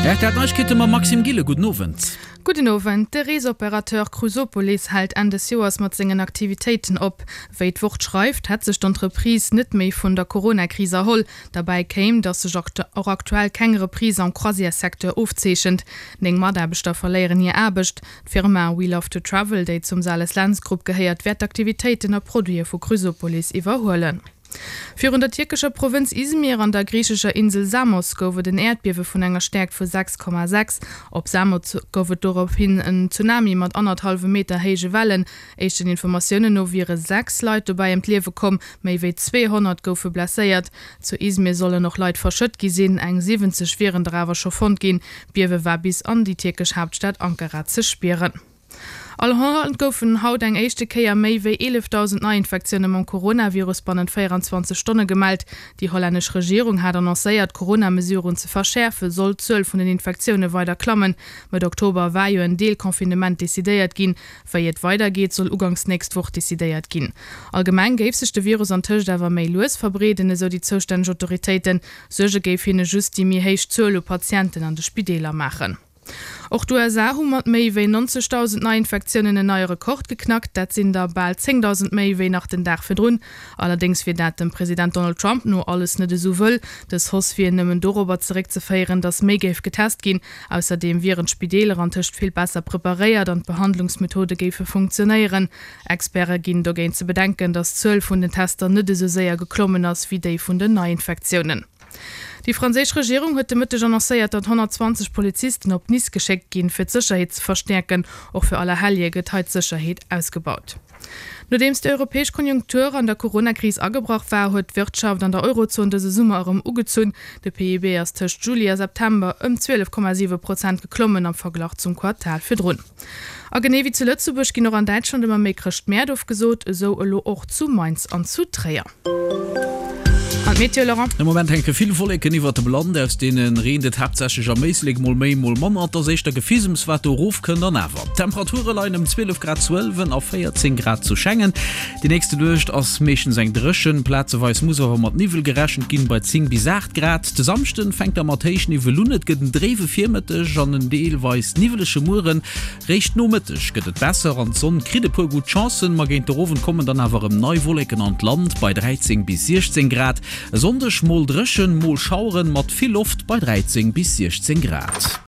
Rtl Neiegkeete mam Maxime Gille. Gudden Owend. Gudden Owend. De Reesoperateur Cruisopolis hält Enn des Joers mat sengen Aktivitéiten op. Wéi d'Wort schreift, hätt sech d'Entreprise net méi vun der Corona-Kris erholl. Derbäi kéim, datt sech och aktuell keng Reprise am Croisières-Secteur ofzeechent. 9 Mataarbechter verléieren hir Aarbecht. D'Firma We Love to Travel, déi zum Sales Lentz Grupp gehéiert, wäert d'Aktivitéiten a Produite vu Cruisopolis iwwerhuelen. Virun der tierkescher Provënz Izmir an der griichescher Insel Samos gouf et en Äerdbiewe vun enger Stäerkt vu 6,6. Op Samos gouf et dorophin en Tsunami mat annerthallwem Meter héije Wellen. Éischten Informatiounen no wiere 6 Leit dobäi ëm d'Liewe komm, méi wéi 200 goufe blesséiert. Zu Izmir sollen och Leit verschëtt gi sinn, eng 70 wieren der awer scho fonnt ginn. D'Biewe war bis an déi tierkesch Haaptstad Ankara ze spieren. An Holland goufen haut eng éischte Kéier méi wéi 11.000 Neiinfektioune mam Coronavirus bannent 24 Stonne gemellt. Déi hollännesch Regierung hat annoncéiert, d'Corona-Mesuren ze verschäerfen, sollt d'Zuel vun den Infektioune weider klammen. Mëtt Oktober war jo en Deel-Confinement decidéiert ginn. Wéi et weidergeet, soll uganks nächst Woch decidéiert ginn. Allgemeng géif sech de Virus antëscht awer méi lues verbreeden, esou déi zoustänneg Autoritéiten. Suerge géif hinne just déi méi héich Zuel u Patienten an de Spideeler maachen. Och d'USA hu mat méi wéi 90.000 Neiinfektiounen en neie Rekord geknackt. Dat sinn der bal 10.000 méi wéi nach den Dag virdrun. Allerdéngs wier dat dem President Donald Trump no alles net esou wëll. Dës Hausse wier nëmmen dorobber zeréckzeféieren, datt méi géif getest ginn. Ausserdeem wieren d'Spideeler antëscht vill besser preparéiert an d'Behandlungsmethode géife funktionéieren. Experte ginn dogéint ze bedenken, datt d'Zuel vun den Tester net esou séier geklommen ass wéi déi vun den Neiinfektiounen. Déi franséisch Regierung huet de Mëtteg annoncéiert, datt 120 Polizisten op Nice geschéckt ginn, fir d'Sécherheet ze verstäerken. Och fir Allerhellje gëtt hei d'Sécherheet ausgebaut. Nodeems déi europäesch Konjunktur an der Corona-Kris agebrach war, huet d'Wirtschaft an der Eurozon dëse Summer erëm ugezunn. De PIB ass tëscht Juli a September ëm 12,7 Prozent geklommen am Verglach zum Quartal virdrun. A genee wéi zu Lëtzebuerg ginn och an Däitschland ëmmer méi Chrëschtmäert ofgesot, esou elo och zu Mainz an zu Tréier. An d'Meteo, Laurent? De Moment hänke vill Wolleken iwwert dem Land, aus deene reent et haaptsächlech am Éislek, mol méi, mol manner. Et ass éischter Gefisems, wat do erofkënnt. An awer, d'Temperature leien ëm 12 Grad zu Ëlwen a 14 Grad zu Schengen. Déi nächste Nuecht ass meeschtens eng dréchen, plazeweis muss awer mat Niwwel gerechent ginn, bei 10 bis 8 Grad. De Samschden fänkt da mat Héichniwwel un, et gëtt en dréiwe Virmëtteg an en deelweis niwwelege Mueren. Réischt Nomëtteg gëtt et besser an d'Sonn kritt e puer gutt Chancen, ma géint de Owend kommen dann awer erëm nei Wolleken an d'Land bei 13 bis 16 Grad. E Sonndeg mol dréchen, mol Schaueren mat vill Loft bei 13 bis 16 Grad.